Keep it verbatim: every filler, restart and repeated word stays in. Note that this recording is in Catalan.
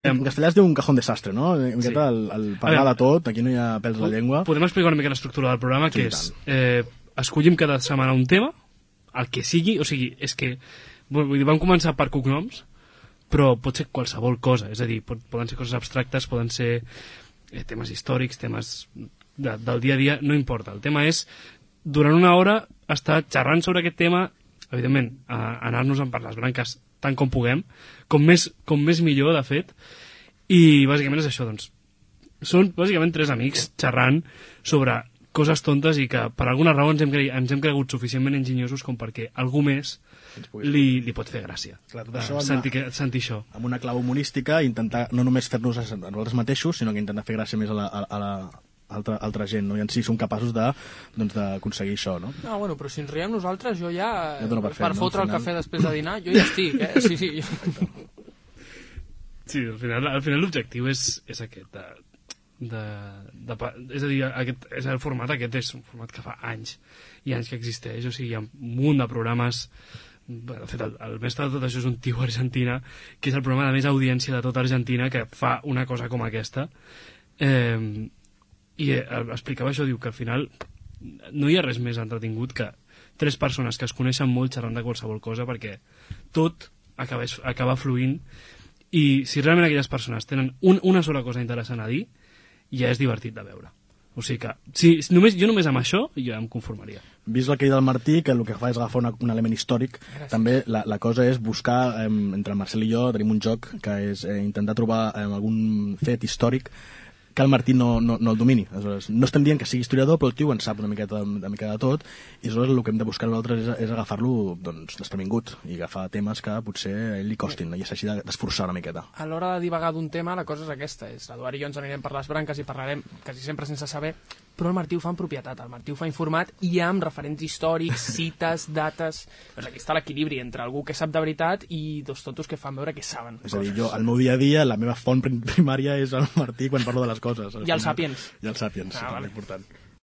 En castellà es diu un cajón desastre, no? Una miqueta el, el parlar de tot, aquí no hi ha pèls a la llengua. Podem explicar una mica l'estructura del programa, que Sí, és, eh, escollim cada setmana un tema, el que sigui, o sigui, és que, vull dir, vam començar per cognoms, però pot ser qualsevol cosa, és a dir, pot, poden ser coses abstractes, poden ser eh, temes històrics, temes de, del dia a dia, no importa. El tema és, durant una hora, estar xerrant sobre aquest tema, evidentment, a, anar-nos-en per les branques tant com puguem, com més, com més millor, de fet, i bàsicament és això, doncs, són bàsicament tres amics xerrant sobre coses tontes i que per alguna raó ens hem, cre ens hem cregut suficientment enginyosos com perquè algú més li, li pot fer gràcia. Clar, tot això uh, sentir, que, sentir això. Amb una clau humorística, intentar no només fer-nos a nosaltres mateixos, sinó que intentar fer gràcia més a la, a, a la altra, altra gent, no? I en si som capaços de, doncs, d'aconseguir això, no? No, bueno, però si ens riem nosaltres, jo ja, ja per, per, fer, per no? fotre final... el cafè després de dinar, jo ja estic, eh? Sí, sí. Sí, al final, al final l'objectiu és, és aquest, de, de, de, és a dir, aquest, és el format aquest és un format que fa anys i anys que existeix, o sigui, hi ha un munt de programes. De fet, el, el mestre de tot això és un tio argentina, que és el programa de més audiència de tota Argentina, que fa una cosa com aquesta. Eh, i eh, explicava això, diu que al final no hi ha res més entretingut que tres persones que es coneixen molt xerrant de qualsevol cosa, perquè tot acaba, acaba fluint, i si realment aquelles persones tenen un, una sola cosa interessant a dir, ja és divertit de veure. O sigui que, si, només, jo només amb això jo em conformaria. Vist el que hi del Martí, que el que fa és agafar una, un element històric. Gràcies. També la, la cosa és buscar, eh, entre el Marcel i jo tenim un joc que és eh, intentar trobar eh, algun fet històric que el Martí no, no, no el domini. Aleshores, no estem dient que sigui historiador, però el tio en sap una miqueta, una miqueta de tot, i aleshores el que hem de buscar nosaltres és, és agafar-lo, doncs, desprevingut i agafar temes que potser a ell li costin, no? I s'hagi d'esforçar una miqueta. A l'hora de divagar d'un tema, la cosa és aquesta, és l'Eduard i jo ens anirem per les branques i parlarem quasi sempre sense saber, però el Martí ho fa en propietat, el Martí ho fa informat i amb referents històrics, cites, dates. Doncs aquí està l'equilibri entre algú que sap de veritat i dos tontos que fan veure que saben. És a dir, jo, al meu dia a dia, la meva font primària és el Martí quan parlo de les coses. I el Sàpiens. I el Sàpiens, ah, vale. important.